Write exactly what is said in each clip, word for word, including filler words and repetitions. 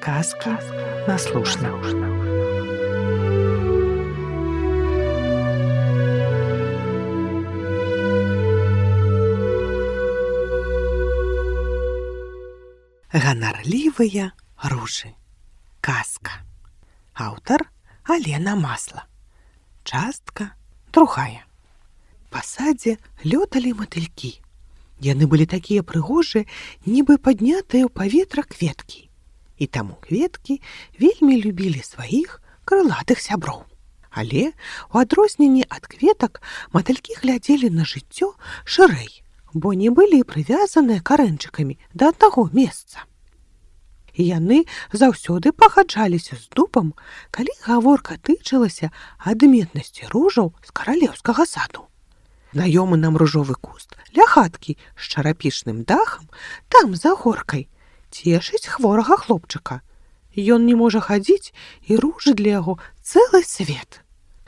Казки на слушна. Ганарлівыя ружы. Казка. Аўтар Алена Масла. Частка другая. Па садзе лёталі матылькі. Яны былі такія прыгожыя, нібы паднятыя ў паветра кветкі. І таму кветкі вельмі любілі сваіх крылатых сяброў. Але, у адрозненні ад кветак, матылькі глядзелі на жыццё шырэй, бо не былі прывязаныя карэнчыкамі да аднаго месца. І яны заўсёды пагаджаліся з дубам, калі гаворка тычылася адметнасці ружаў з каралеўскага саду. Знаёмы нам ружовы куст ля хаткі з чарапічным дахам там за горкай цешыць хворага хлопчыка. Ён не можа хадзіць, і ружы для яго цэлы свет.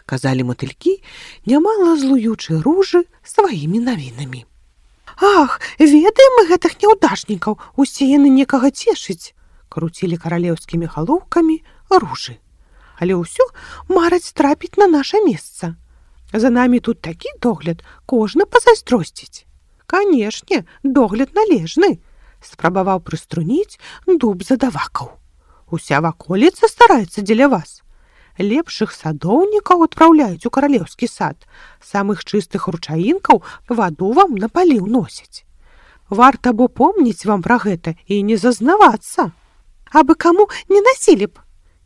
Казалі матылькі, нямала злуючы ружы сваімі навінамі. Ах, ведаем мы гэтых няўдачнікаў, усе яны некага цешыць, круцілі каралеўскімі галоўкамі ружы. Але ўсё мараць трапіць на наша месца. За намі тут такі догляд, кожны пазайздросціць. Канешне, догляд належны. Спрабаваў прыструніць дуб задавакаў. Уся ваколіца стараецца дзеля вас. Лепшых садоўнікаў адпраўляюць у каралеўскі сад. Самых чыстых ручаінкаў ваду вам на паліў носяць. Варта бо помніць вам пра гэта і не зазнавацца. Абы каму не насілі б.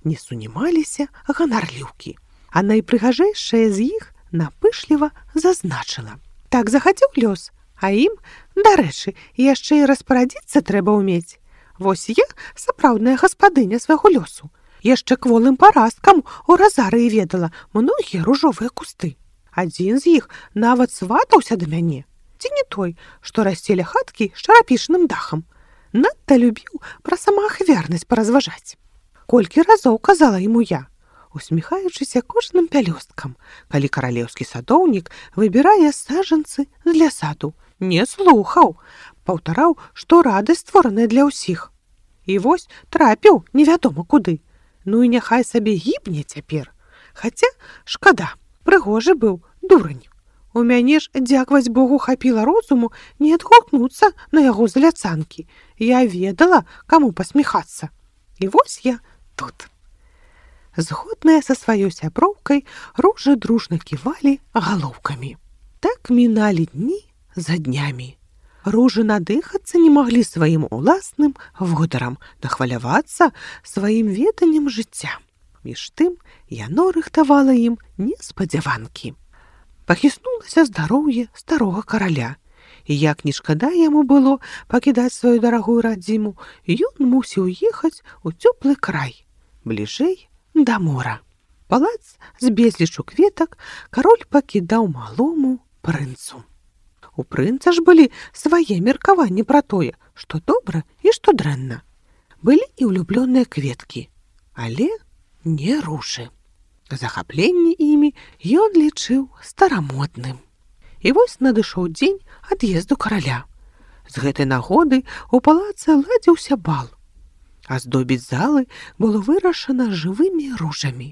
Не сунімаліся ганарліўкі. А найпрыгажэйшая з іх напышліва зазначыла. Так захацеў лёс. А ім, дарэчы, яшчэ і распарадзіцца трэба ўмець. Вось я сапраўдная гаспадыня свайго лёсу. Яшчэ кволым парасткам у разарыі ведала многія ружовыя кусты. Адзін з іх нават сватаўся да мяне. Ці не той, што расце ля хаткі з чарапічным дахам. Надта любіў пра самаахвярнасць паразважаць. Колькі разоў казала яму я, усміхаючыся кожным пялёсткам, калі каралеўскі садоўнік выбірае саджанцы для саду. Не слухаў, паўтараў, што радасць створаная для ўсіх. І вось трапіў невядома куды. Ну і няхай сабе гібне цяпер. Хаця, шкада, прыгожы быў дурань. У мяне ж, дзякаваць Богу, хапіла розуму не адгукнуцца на яго заляцанкі. Я ведала, каму пасміхацца. І вось я тут. Згодная са сваёй сяброўкай, ружы дружна ківалі галоўкамі. Так міналі дні за днямі. Ружы надыхацца не маглі сваім уласным водарам, нахвалявацца сваім веданнем жыцця. Між тым яно рыхтавала ім неспадзяванкі. Пахіснулася здароўе старога караля, і як не шкада яму было пакідаць сваю дарагую радзіму, ён мусіў ехаць у цёплы край, бліжэй да мора. Палац з безлічу кветак кароль пакідаў малому прынцу. У прынца ж былі свае меркаванні пра тое, што добра і што дрэнна. Былі і ўлюблёныя кветкі, але не ружы. Захапленне імі ён лічыў старамодным. І вось надышоў дзень ад'езду караля. З гэтай нагоды ў палацы ладзіўся бал. Аздобіць залы было вырашана жывымі ружамі.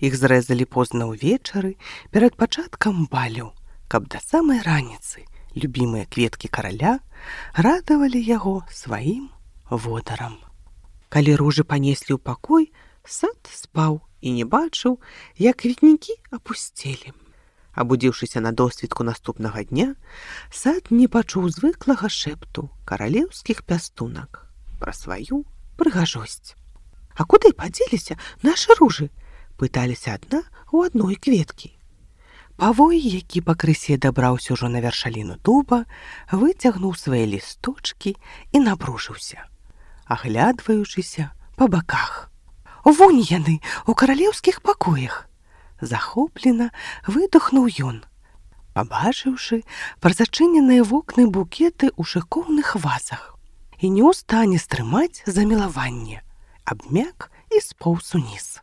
Іх зрэзалі позна ўвечары перад пачаткам балю, каб да самай раніцы любімыя кветкі караля радавалі яго сваім водарам. Калі ружы панеслі ў пакой, сад спаў і не бачыў, як кветнікі апусцелі. Абудзіўшыся на досвітку наступнага дня, сад не пачуў звыклага шэпту каралеўскіх пястунак пра сваю прыгажосць. А куды падзеліся нашы ружы? Пыталіся адна ў адной кветкі. Павой, які пакрысе дабраўся ўжо на вяршаліну дуба, выцягнуў свае лісточкі і напружыўся, аглядваючыся па баках. Вунь яны у каралеўскіх пакоях! Захоплена выдохнуў ён, пабачыўшы празачыненыя вокны букеты ў шыкоўных вазах, і не ў стане стрымаць замілаванне, абмяк і споўз уніз.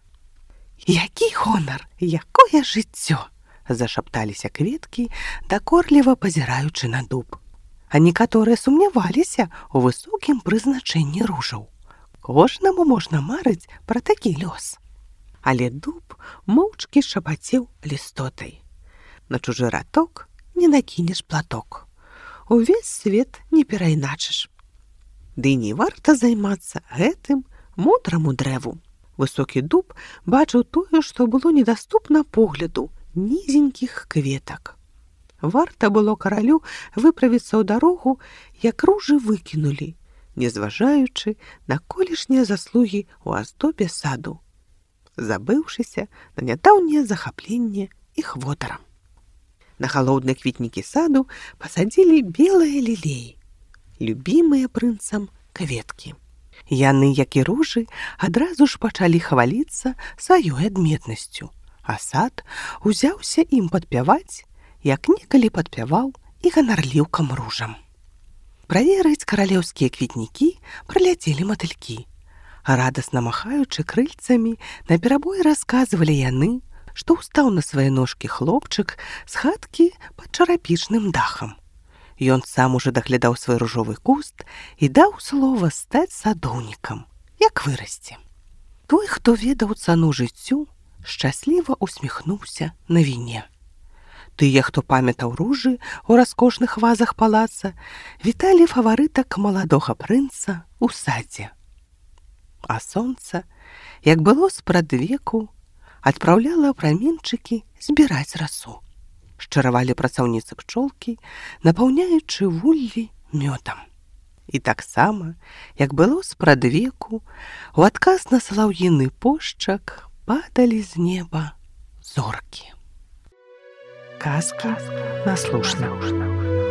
Які гонар, якое жыццё! Зашапталіся кветкі, дакорліва пазіраючы на дуб. А некаторыя сумняваліся ў высокім прызначэнні ружаў. Кожнаму можна марыць пра такі лёс. Але дуб моўчкі шапацеў лістотай. На чужы раток не накінеш платок. Увесь свет не перайначыш. Ды не варта займацца гэтым мудраму дрэву. Высокі дуб бачыў тое, што было недаступна погляду нізенькіх кветак. Варта было каралю выправіцца ў дарогу, як ружы выкінулі, не зважаючы на колішнія заслугі ў аздобе саду, забыўшыся на нядаўняе захапленне іх водарам. На галоўныя кветнікі саду пасадзілі белыя лілеі, любімыя прынцам кветкі. Яны, як і ружы, адразу ж пачалі хваліцца сваёй адметнасцю, а сад узяўся ім падпяваць, як некалі падпяваў і ганарліўкам ружам. Праверыць каралеўскія кветнікі праляцелі матылькі. Радасна махаючы крыльцамі, наперабой расказвалі яны, што ўстаў на свае ножкі хлопчык з хаткі пад чарапічным дахам. Ён сам ужо даглядаў свой ружовы куст і даў слова стаць садоўнікам, як вырасце. Той, хто ведаў цану жыццю, шчасліва усміхнуўся на віне. Тыя, хто памятаў ружы ў раскошных вазах палаца, віталі фаварытак маладога прынца ў садзе. А сонца, як было спрадвеку, адпраўляла праменчыкі збіраць расу. Шчаравалі працаўніцы пчолкі, напаўняючы вуллі мёдам. І таксама, як было спрадвеку, у адказ на салаўіны пошчак падалі з неба зоркі. Казка наслушна.